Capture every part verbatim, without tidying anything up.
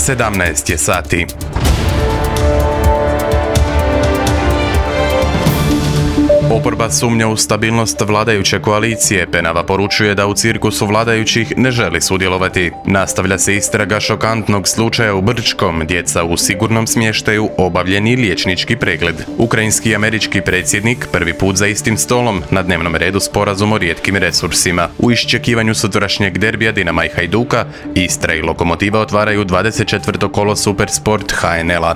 sedamnaest je sati. Oporba sumnja u stabilnost vladajuće koalicije. Penava poručuje da u cirkusu vladajućih ne želi sudjelovati. Nastavlja se istraga šokantnog slučaja u Brčkom. Djeca u sigurnom smještaju, obavljeni liječnički pregled. Ukrajinski i američki predsjednik prvi put za istim stolom, na dnevnom redu sporazum o rijetkim resursima. U iščekivanju sutrašnjeg derbija Dinama i Hajduka, Istra i Lokomotiva otvaraju dvadeset četvrto kolo Supersport H N L-a.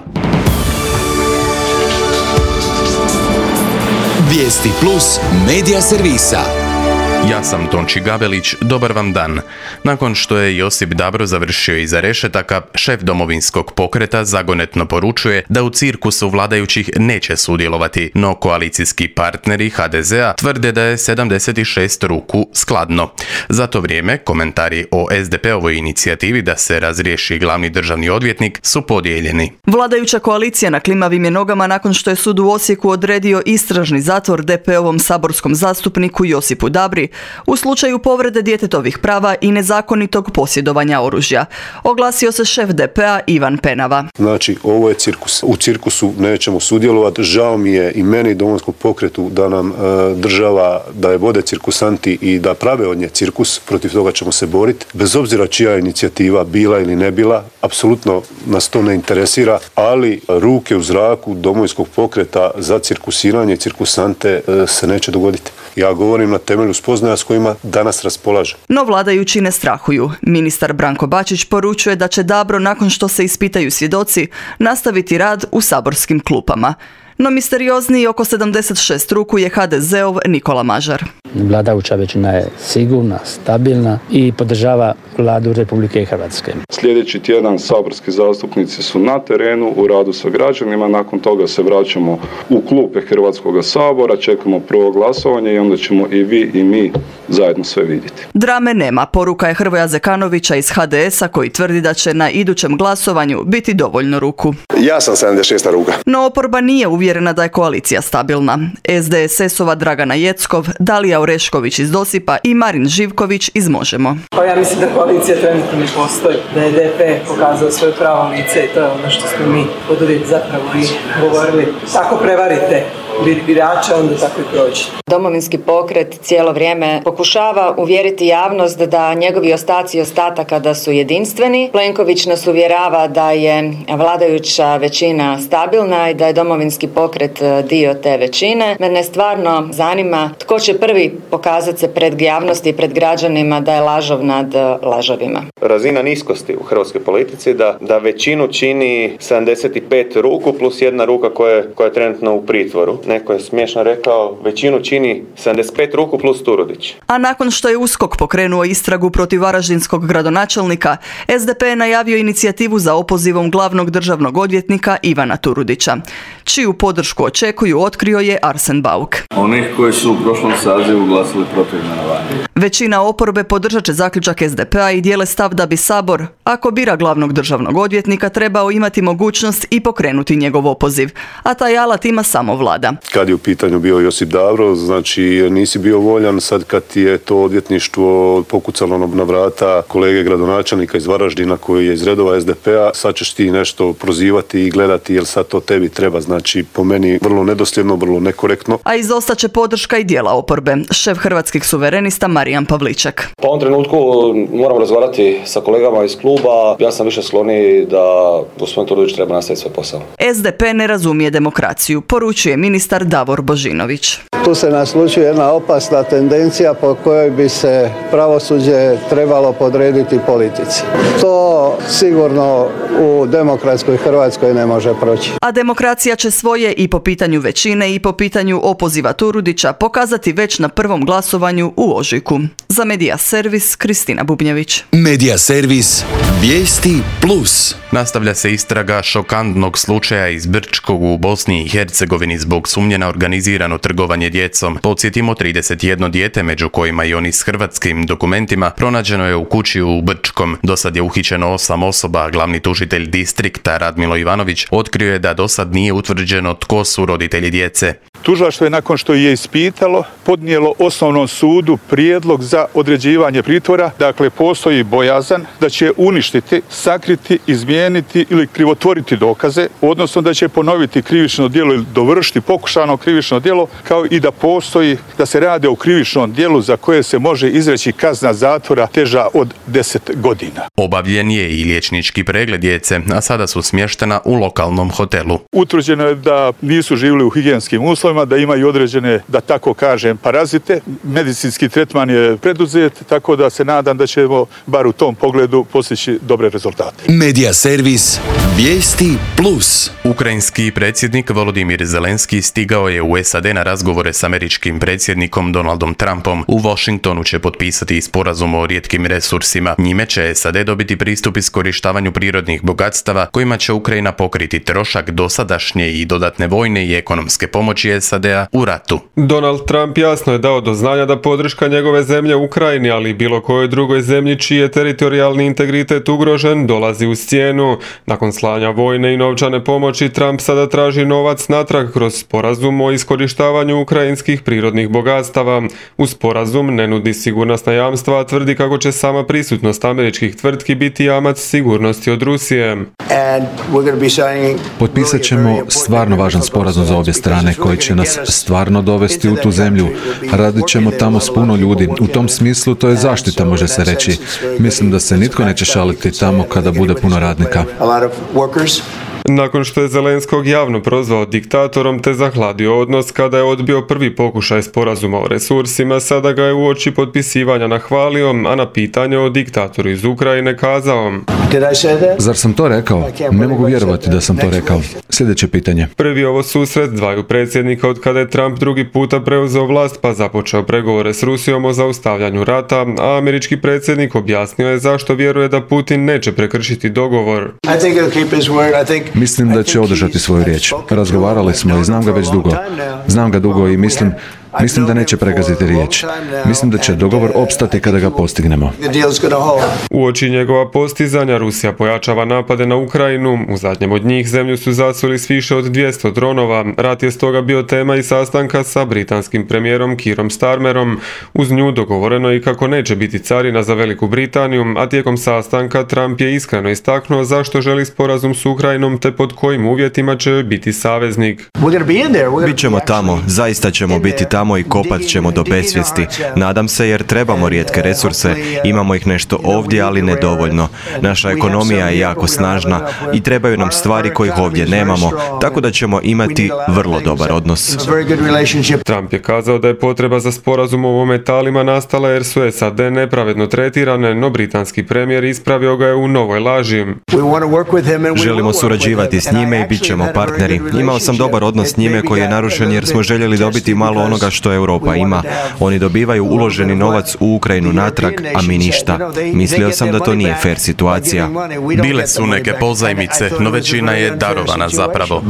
Vijesti plus medija servisa. Ja sam Tonči Gabelić, dobar vam dan. Nakon što je Josip Dabro završio iza rešetaka, šef Domovinskog pokreta zagonetno poručuje da u cirkusu vladajućih neće sudjelovati, no koalicijski partneri H D Z-a tvrde da je sedamdeset šest ruku skladno. Za to vrijeme komentari o S D P-ovoj inicijativi da se razriješi glavni državni odvjetnik su podijeljeni. Vladajuća koalicija na klimavim je nogama nakon što je sud u Osijeku odredio istražni zatvor D P-ovom saborskom zastupniku Josipu Dabri u slučaju povrede djetetovih prava i nezakonitog posjedovanja oružja. Oglasio se šef D P-a Ivan Penava. Znači, ovo je cirkus. U cirkusu nećemo sudjelovati. Žao mi je i meni i Domovinskom pokretu da nam e, država, da je vode cirkusanti i da prave od nje cirkus. Protiv toga ćemo se boriti. Bez obzira čija inicijativa bila ili ne bila, apsolutno nas to ne interesira, ali ruke u zraku Domovinskog pokreta za cirkusiranje i cirkusante e, se neće dogoditi. Ja govorim na temelju spoznaja s kojima danas raspolaže. No vladajući ne strahuju. Ministar Branko Bačić poručuje da će Dabro, nakon što se ispitaju svjedoci, nastaviti rad u saborskim klupama. No misteriozniji oko sedamdeset šest ruku je H D Z-ov Nikola Mažar. Vladajuća većina je sigurna, stabilna i podržava Vladu Republike Hrvatske. Sljedeći tjedan saborski zastupnici su na terenu u radu sa građanima, nakon toga se vraćamo u klupe Hrvatskog sabora, čekamo prvo glasovanje i onda ćemo i vi i mi zajedno sve vidjeti. Drame nema, poruka je Hrvoja Zekanovića iz H D S-a koji tvrdi da će na idućem glasovanju biti dovoljno ruku. Ja sam sedamdeset šesta ruka. No oporba nije uvjerena da je koalicija stabilna. S D S S-ova Dragana Jeckov, Dalija Orešković iz Dosipa i Marin Živković iz Možemo. Pa ja mislim da koalicija trenutno ne postoji, da je D P pokazao svoje pravo lice i to je ono što smo mi oduvijek zapravo i govorili. Tako prevarite birača, onda tako i prođe. Domovinski pokret cijelo vrijeme pokušava uvjeriti javnost da njegovi ostaci ostataka da su jedinstveni. Plenković nas uvjerava da je vladajuća većina stabilna i da je Domovinski pokret dio te većine. Mene stvarno zanima tko će prvi pokazati se pred javnosti i pred građanima da je lažov nad lažovima. Razina niskosti u hrvatskoj politici da, da većinu čini sedamdeset pet ruku plus jedna ruka koja je, koja je trenutno u pritvoru. Neko je smiješno rekao, većinu čini sedamdeset pet ruku plus Turudić. A nakon što je USKOK pokrenuo istragu protiv varaždinskog gradonačelnika, S D P je najavio inicijativu za opozivom glavnog državnog odvjetnika Ivana Turudića. Čiju podršku očekuju, otkrio je Arsen Bauk. Onih koji su u prošlom sazivu glasili protiv imenovanja. Većina oporbe podržat će zaključak S D P-a i dijele stav da bi Sabor, ako bira glavnog državnog odvjetnika, trebao imati mogućnost i pokrenuti njegov opoziv, a taj alat ima samo vlada. Kad je u pitanju bio Josip Dabro, znači nisi bio voljan, sad kad ti je to odvjetništvo pokucalo na vrata kolege gradonačelnika iz Varaždina koji je iz redova S D P-a, sad ćeš ti nešto prozivati i gledati jel sad to tebi treba, znači po meni vrlo nedosljedno, vrlo nekorektno. A izostat će podrška i dijela oporbe. Šef Hrvatskih suverenista Marijan Pavliček. Po ovom trenutku moramo razgovarati sa kolegama iz kluba. Ja sam više skloniji da gospodin Turudić treba nastaviti svoj posao. S D P ne razumije demokraciju, poručuje ministar Davor Božinović. Tu se naslućuje jedna opasna tendencija po kojoj bi se pravosuđe trebalo podrediti politici. To sigurno u demokratskoj Hrvatskoj ne može proći. A demokracija će svoje i po pitanju većine i po pitanju opoziva Turudića pokazati već na prvom glasovanju u ožujku. Za Medija Servis, Kristina Bubnjević. Medija Servis, Vijesti plus. Nastavlja se istraga šokantnog slučaja iz Brčkog u Bosni i Hercegovini zbog sumnje na organizirano trgovanje djecom. Podsjetimo, trideset jedno dijete, među kojima i oni s hrvatskim dokumentima, pronađeno je u kući u Brčkom. Dosad je uhićeno osam osoba, a glavni tužitelj distrikta Radmilo Ivanović otkrio je da dosad nije utvrđeno tko su roditelji djece. Tužilaštvo je nakon što je ispitalo podnijelo osnovnom sudu prijedlog za određivanje pritvora. Dakle, postoji bojazan da će uništiti, sakriti, izmijeniti ili krivotvoriti dokaze, odnosno da će ponoviti krivično djelo ili dovršiti pokušano krivično djelo, kao i da postoji da se radi o krivičnom djelu za koje se može izreći kazna zatvora teža od deset godina. Obavljen je i liječnički pregled djece, a sada su smještena u lokalnom hotelu. Utvrđeno je da nisu živjeli u higijenskim uslovima, da imaju određene, da tako kažem, parazite. Medicinski tretman je preduzet, tako da se nadam da ćemo bar u tom pogledu postići dobre rezultate. Medija servis Vijesti plus. Ukrajinski predsjednik Volodimir Zelenski stigao je u S A D na razgovore s američkim predsjednikom Donaldom Trumpom. U Washingtonu će potpisati sporazum o rijetkim resursima. Njime će S A D dobiti pristup iskorištavanju prirodnih bogatstava kojima će Ukrajina pokriti trošak dosadašnje i dodatne vojne i ekonomske pomoći S A D-a u ratu. Donald Trump jasno je dao do znanja da podrška njegove zemlje Ukrajini, ali i bilo kojoj drugoj zemlji čiji je teritorijalni integritet ugrožen, dolazi uz cijenu. Nakon slanja vojne i novčane pomoći, Trump sada traži novac natrag kroz sporazum o iskorištavanju ukrajinskih prirodnih bogatstava. U sporazum ne nudi sigurnosna jamstva, a tvrdi kako će sama prisutnost američkih tvrtki biti jamac sigurnosti od Rusije. Potpisat ćemo stvarno važan sporazum za obje strane koji će nas stvarno dovesti u tu zemlju. Radit ćemo tamo s puno ljudi. U tom smislu to je zaštita, može se reći. Mislim da se nitko neće šaliti tamo kada bude puno radnika. Nakon što je Zelenskog javno prozvao diktatorom te zahladio odnos kada je odbio prvi pokušaj sporazuma o resursima, sada ga je uoči potpisivanja nahvalio, a na pitanje o diktatoru iz Ukrajine kazao: Zar sam to rekao? Ne mogu vjerovati da sam to rekao. Sljedeće pitanje. Prvi ovo susret dvaju predsjednika od kada je Trump drugi puta preuzeo vlast pa započeo pregovore s Rusijom o zaustavljanju rata, a američki predsjednik objasnio je zašto vjeruje da Putin neće prekršiti dogovor. Mislim da će održati svoju riječ. Razgovarali smo i znam ga već dugo. Znam ga dugo i mislim Mislim da neće pregaziti riječ. Mislim da će dogovor opstati kada ga postignemo. Uoči njegova postizanja Rusija pojačava napade na Ukrajinu. U zadnjem od njih zemlju su zasuli s više od dvjesto dronova. Rat je stoga bio tema i sastanka sa britanskim premijerom Keerom Starmerom. Uz nju dogovoreno je i kako neće biti carina za Veliku Britaniju, a tijekom sastanka Trump je iskreno istaknuo zašto želi sporazum s Ukrajinom te pod kojim uvjetima će biti saveznik. Bićemo tamo, zaista ćemo biti tamo i kopat ćemo do besvijesti. Nadam se jer trebamo rijetke resurse, imamo ih nešto ovdje, ali ne dovoljno. Naša ekonomija je jako snažna i trebaju nam stvari kojih ovdje nemamo, tako da ćemo imati vrlo dobar odnos. Trump je kazao da je potreba za sporazumom o metalima nastala jer su S A D nepravedno tretirane, no britanski premijer ispravio ga je u novoj laži. Želimo surađivati s njime i bit ćemo partneri. Imao sam dobar odnos s njime koji je narušen jer smo željeli dobiti malo onoga što Europa ima. Oni dobivaju uloženi novac u Ukrajinu natrag, a mi ništa. Mislio sam da to nije fair situacija. Bile su neke pozajmice, no većina je darovana zapravo.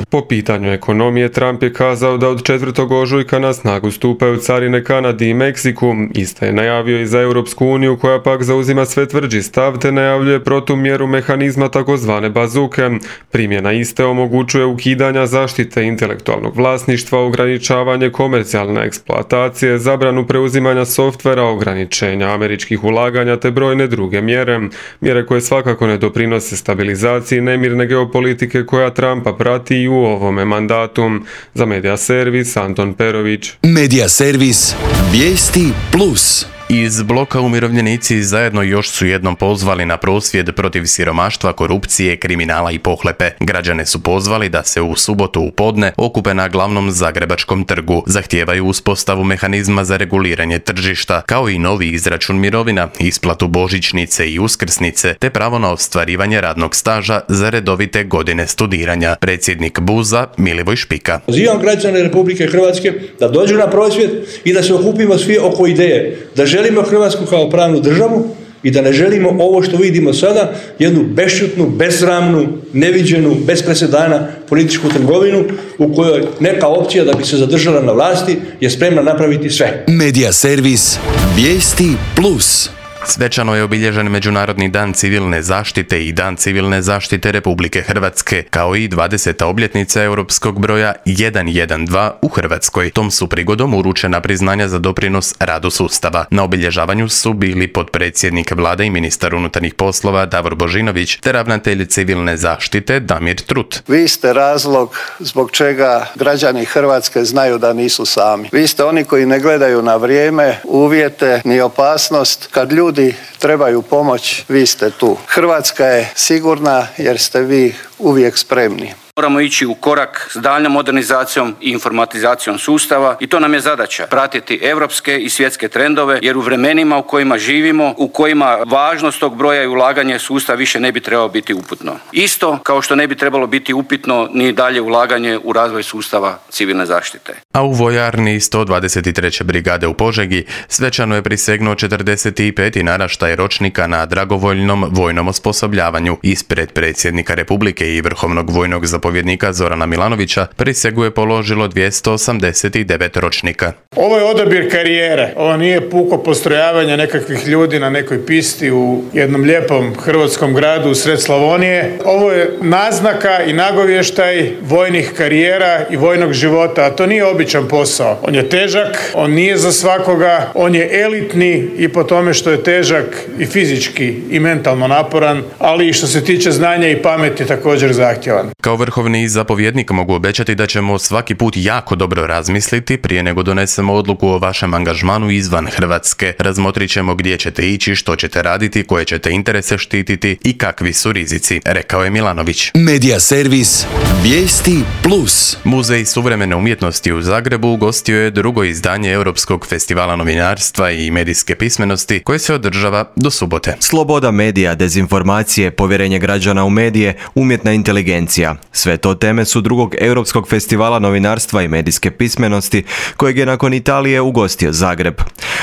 Po pitanju ekonomije, Trump je kazao da od četvrtog ožujka na snagu stupaju carine Kanadi i Meksiku. Ista je najavio i za Europsku uniju, koja pak zauzima sve tvrđi stav te najavljuje protumjeru mehanizma takozvane bazuke. Primjena iste omogućuje ukidanja zaštite intelektualnog vlasništva, ograničavanje komercijalne eksploatacije, zabranu preuzimanja softvera, ograničenja američkih ulaganja te brojne druge mjere. Mjere koje svakako ne doprinose stabilizaciji nemirne geopolitike koja Trumpa prati i u ovome mandatu. Za Medija servis Anton Perović. Medija servis Vijesti plus. Iz bloka umirovljenici zajedno još su jednom pozvali na prosvjed protiv siromaštva, korupcije, kriminala i pohlepe. Građane su pozvali da se u subotu u podne okupe na glavnom Zagrebačkom trgu. Zahtijevaju uspostavu mehanizma za reguliranje tržišta, kao i novi izračun mirovina, isplatu božićnice i uskrsnice, te pravo na ostvarivanje radnog staža za redovite godine studiranja. Predsjednik Buza Milivoj Špika. Pozivam građane Republike Hrvatske da dođu na prosvjed i da se okupimo svi oko ideje da želimo Hrvatsku kao pravnu državu i da ne želimo ovo što vidimo sada, jednu bešćutnu, besramnu, neviđenu, bez presedana političku trgovinu u kojoj neka opcija da bi se zadržala na vlasti je spremna napraviti sve. Medija servis Vijesti plus. Svečano je obilježen Međunarodni dan civilne zaštite i Dan civilne zaštite Republike Hrvatske, kao i dvadeseta obljetnica europskog broja jedan jedan dva u Hrvatskoj. Tom su prigodom uručena priznanja za doprinos radu sustava. Na obilježavanju su bili potpredsjednik vlade i ministar unutarnjih poslova Davor Božinović te ravnatelj civilne zaštite Damir Trut. Vi ste razlog zbog čega građani Hrvatske znaju da nisu sami. Vi ste oni koji ne gledaju na vrijeme, uvjete ni opasnost. Kad ljudi trebaju pomoć, vi ste tu. Hrvatska je sigurna jer ste vi uvijek spremni. Moramo ići u korak s daljnjom modernizacijom i informatizacijom sustava i to nam je zadaća, pratiti europske i svjetske trendove, jer u vremenima u kojima živimo, u kojima važnost tog broja i ulaganje sustav više ne bi trebalo biti upitno. Isto kao što ne bi trebalo biti upitno ni dalje ulaganje u razvoj sustava civilne zaštite. A u vojarni sto dvadeset treće brigade u Požegi svečano je prisegnuo četrdeset peti naraštaj ročnika na dragovoljnom vojnom osposobljavanju. Ispred predsjednika Republike i vrhovnog vojnog zapovjednika Zorana Milanovića prisegu je položilo dvjesto osamdeset devet ročnika. Ovo je odabir karijere. Ovo nije puko postrojavanje nekakvih ljudi na nekoj pisti u jednom lijepom hrvatskom gradu u sred Slavonije. Ovo je naznaka i nagovještaj vojnih karijera i vojnog života, a to nije običan posao. On je težak, on nije za svakoga, on je elitni i po tome što je težak i fizički i mentalno naporan, ali i što se tiče znanja i pameti također zahtjevan. Kao vrhovni zapovjednik mogu obećati da ćemo svaki put jako dobro razmisliti prije nego donesemo odluku o vašem angažmanu izvan Hrvatske. Razmotrit ćemo gdje ćete ići, što ćete raditi, koje ćete interese štititi i kakvi su rizici, rekao je Milanović. Medija servis Vijesti Plus. Muzej suvremene umjetnosti u Zagrebu ugostio je drugo izdanje Europskog festivala novinarstva i medijske pismenosti koje se održava do subote. Sloboda medija, dezinformacije, povjerenje građana u medije, umjetna inteligencija. Sve to teme su drugog Europskog festivala novinarstva i medijske pismenosti kojeg je nakon Italije ugostio Zagreb.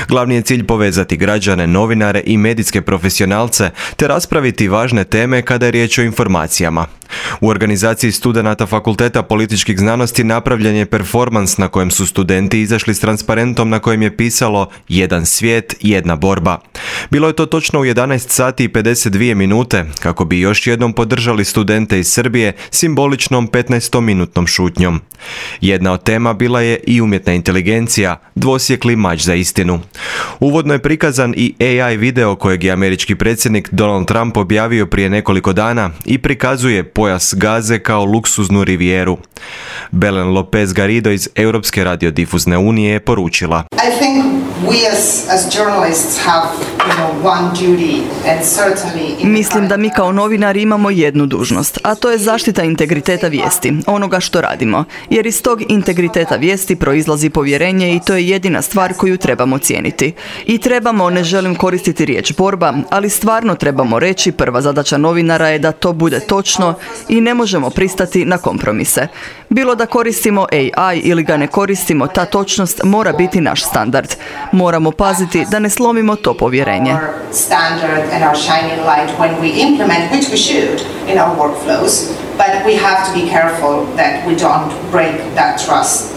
Glavni je cilj povezati građane, novinare i medijske profesionalce te raspraviti važne teme kada je riječ o informacijama. U organizaciji studenata Fakulteta političkih znanosti napravljen je performans na kojem su studenti izašli s transparentom na kojem je pisalo jedan svijet, jedna borba. Bilo je to točno u jedanaest sati i pedeset dvije minute kako bi još jednom podržali studente iz Srbije simboličnom petnaestominutnom šutnjom. Jedna od tema bila je i umjetna inteligencija, dvosjekli mač za istinu. Uvodno je prikazan i A I video kojeg je američki predsjednik Donald Trump objavio prije nekoliko dana i prikazuje pojas Gaze kao luksuznu rivijeru. Belen Lopez Garrido iz Europske radiodifuzne unije je poručila: I think we as, as journalists have, you know, one duty and certainly... Mislim da mi kao novinari imamo jednu dužnost, a to je zaštita integriteta vijesti, onoga što radimo, jer iz tog integriteta vijesti proizlazi povjerenje i to je jedina stvar koju trebamo cijeniti. I trebamo, ne želim koristiti riječ borba, ali stvarno trebamo reći prva zadaća novinara je da to bude točno i ne možemo pristati na kompromise. Bilo da koristimo A I ili ga ne koristimo, ta točnost mora biti naš standard. Moramo paziti da ne slomimo to povjerenje.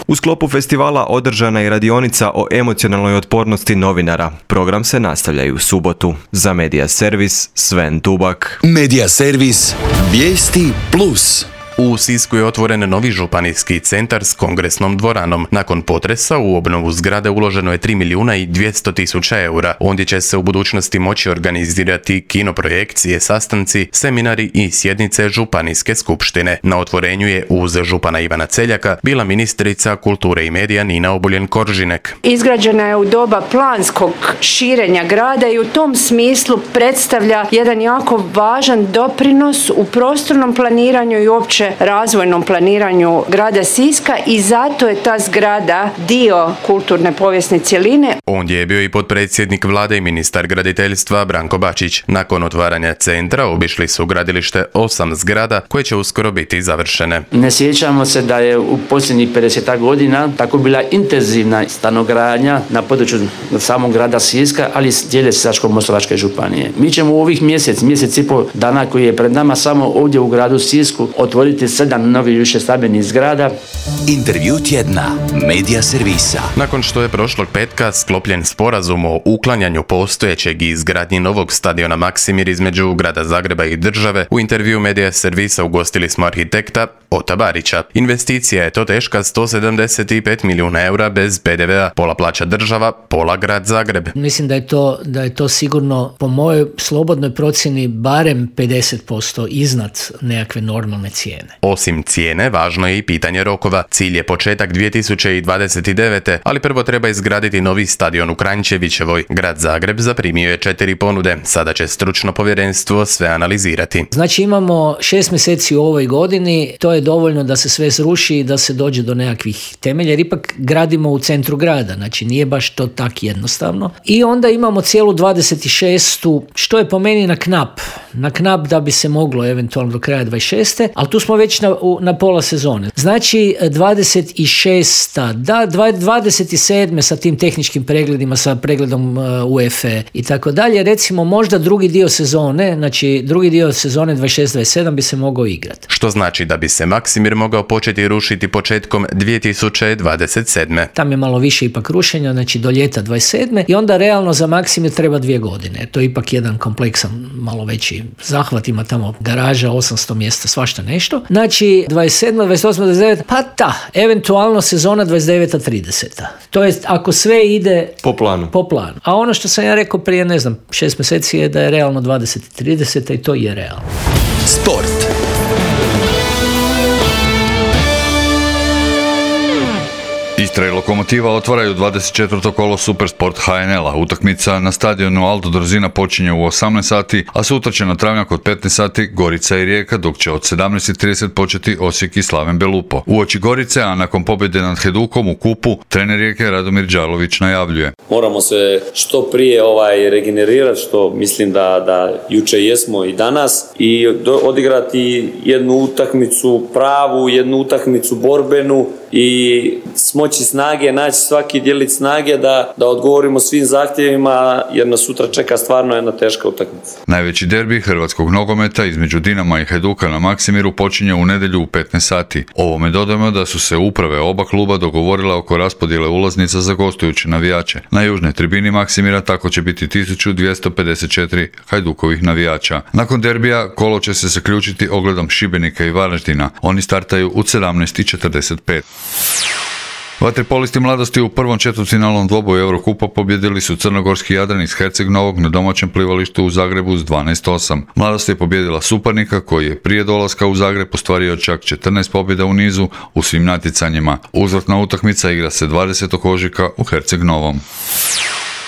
U sklopu festivala održana je radionica o emocionalnoj otpornosti novinara. Program se nastavlja i u subotu. Za Medija servis Sven Tubak. Medija servis Vijesti Plus. U Sisku je otvoren novi županijski centar s kongresnom dvoranom. Nakon potresa u obnovu zgrade uloženo je tri milijuna i dvjesto tisuća eura. Ondje će se u budućnosti moći organizirati kinoprojekcije, sastanci, seminari i sjednice županijske skupštine. Na otvorenju je uz župana Ivana Celjaka bila ministrica kulture i medija Nina Obuljen-Koržinek. Izgrađena je u doba planskog širenja grada i u tom smislu predstavlja jedan jako važan doprinos u prostornom planiranju i uopće razvojnom planiranju grada Siska i zato je ta zgrada dio kulturne povijesne cjeline. Ondje je bio i potpredsjednik vlade i ministar graditeljstva Branko Bačić. Nakon otvaranja centra obišli su gradilište osam zgrada koje će uskoro biti završene. Ne sjećamo se da je u posljednjih pedeset godina tako bila intenzivna stanogradnja na području samog grada Siska, ali cijele Sisačko-moslavačke županije. Mi ćemo u ovih mjesec, mjesec i pol dana koji je pred nama samo ovdje u gradu Sisku otvoriti izgraditi sedam novih višestambenih zgrada. Intervju tjedna Medija servisa. Nakon što je prošlog petka sklopljen sporazum o uklanjanju postojećeg i izgradnji novog stadiona Maksimir između grada Zagreba i države, u intervju Medija servisa ugostili smo arhitekta Ota Barića. Investicija je to teška sto sedamdeset pet milijuna eura bez pe de vea, pola plaća država, pola grad Zagreb. Mislim da je to, da je to sigurno po mojoj slobodnoj procjeni barem pedeset posto iznad nekakve normalne cijene. Osim cijene, važno je i pitanje rokova. Cilj je početak dvije tisuće dvadeset devete. ali prvo treba izgraditi novi stadion u Kranjčevićevoj. Grad Zagreb zaprimio je četiri ponude. Sada će stručno povjerenstvo sve analizirati. Znači imamo šest mjeseci u ovoj godini, to je dovoljno da se sve sruši i da se dođe do nekakvih temelja, jer ipak gradimo u centru grada, znači nije baš to tak jednostavno. I onda imamo cijelu dvadeset šestu što je po meni na knap, na knap da bi se moglo eventualno do kraja dvadeset šeste. ali tu smo već na, na pola sezone. Znači dvadeset šesta da, dvadeset sedme sa tim tehničkim pregledima, sa pregledom U E F E i tako dalje, recimo možda drugi dio sezone, znači drugi dio sezone dvadeset šest dvadeset sedam bi se mogao igrati. Što znači da bi se Maksimir mogao početi rušiti početkom dvije tisuće dvadeset sedme. Tam je malo više ipak rušenja, znači do ljeta dvadeset sedme i onda realno za Maksimir treba dvije godine. To je ipak jedan kompleksan, malo veći zahvat, ima tamo garaža, osamsto mjesta, svašta nešto. Znači dvadeset sedma dvadeset osma dvadeset deveta pa ta, eventualno sezona dvadeset deveta trideseta. To je ako sve ide po planu. Po planu. A ono što sam ja rekao prije, ne znam, šest mjeseci je da je realno dvadeset trideseta i to je realno. Sport. Istra i Lokomotiva otvaraju dvadeset četvrto kolo Supersport H N L-a. Utakmica na stadionu Aldo Drozina počinje u osamnaest sati, a sutra će na travnjak od petnaest sati Gorica i Rijeka, dok će od sedamnaest trideset početi Osijek i Slaven Belupo. Uoči Gorice, a nakon pobjede nad Hajdukom u kupu, trener Rijeke Radomir Đalović najavljuje. Moramo se što prije ovaj regenerirati, što mislim da, da juče jesmo i danas, i do, odigrati jednu utakmicu pravu, jednu utakmicu borbenu i smoći snage, naći svaki djelić snage da, da odgovorimo svim zahtjevima, jer nas sutra čeka stvarno jedna teška utakmica. Najveći derbi hrvatskog nogometa između Dinama i Hajduka na Maksimiru počinje u nedjelju u petnaest sati. Ovome dodajemo da su se uprave oba kluba dogovorile oko raspodjele ulaznica za gostujuće navijače. Na južnoj tribini Maksimira tako će biti tisuću dvjesto pedeset četiri Hajdukovih navijača. Nakon derbija kolo će se zaključiti ogledom Šibenika i Varaždina. Oni startaju u sedamnaest četrdeset pet. Vaterpolisti mladosti u prvom četvrtfinalnom dvoboju Eurokupa pobjedili su crnogorski Jadran iz Herceg Novog na domaćem plivalištu u Zagrebu s dvanaest osam. Mladost je pobjedila suparnika koji je prije dolaska u Zagreb ostvario čak četrnaest pobjeda u nizu u svim natjecanjima. Uzvratna utakmica igra se dvadesetog ožujka u Herceg Novom.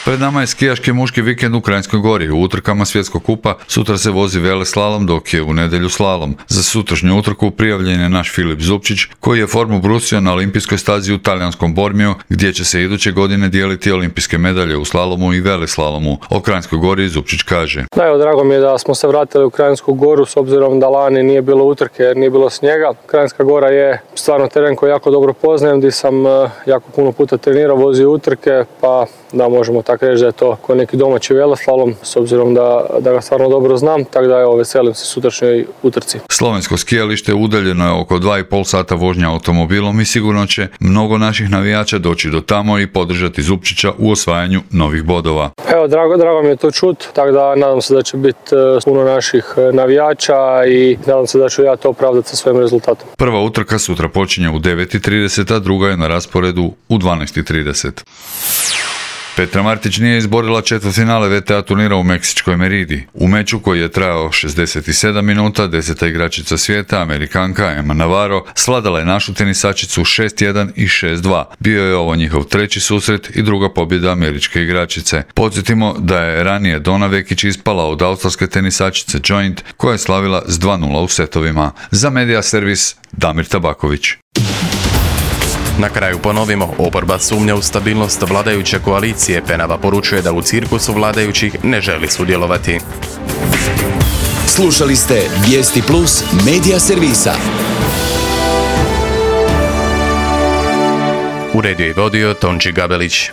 Pred nama je skijaški muški vikend u Kranjskoj Gori. U utrkama svjetskog kupa sutra se vozi veleslalom, dok je u nedjelju slalom. Za sutrašnju utrku prijavljen je naš Filip Zupčić, koji je formu brusio na olimpijskoj stazi u talijanskom Bormiju, gdje će se iduće godine dijeliti olimpijske medalje u slalomu i veleslalomu. O Kranjskoj Gori Zupčić kaže. Da, evo, drago mi je da smo se vratili u Kranjsku Goru, s obzirom da lani nije bilo utrke jer nije bilo snijega. Kranjska Gora je stvarno teren koji jako dobro poznajem, gdje sam jako puno puta trenirao, vozio utrke, pa da možemo tako reći da je to kao neki domaći veleslalom, s obzirom da, da ga stvarno dobro znam, tako da evo, veselim se sutrašnjoj utrci. Slovensko skijalište udaljeno je oko dva i pol sata vožnja automobilom i sigurno će mnogo naših navijača doći do tamo i podržati Zupčića u osvajanju novih bodova. Evo, drago, drago mi je to čut, tako da nadam se da će biti puno naših navijača i nadam se da ću ja to opravdati sa svojim rezultatom. Prva utrka sutra počinje u devet i trideset, a druga je na rasporedu u dvanaest i trideset. Petra Martić nije izborila četvrtfinale V T A turnira u meksičkoj Meridi. U meču koji je trajao šezdeset sedam minuta, deseta igračica svijeta, Amerikanka Emma Navarro, svladala je našu tenisačicu šest jedan i šest dva. Bio je ovo njihov treći susret i druga pobjeda američke igračice. Podsjetimo da je ranije Dona Vekić ispala od australske tenisačice Joint, koja je slavila s dva nula u setovima. Za Medija servis Damir Tabaković. Na kraju ponovimo, oporba sumnja u stabilnost vladajuće koalicije. Penava poručuje da u cirkusu vladajućih ne želi sudjelovati. Slušali ste Vijesti Plus Medija servisa. Uredio i vodio Tonči Gabelić.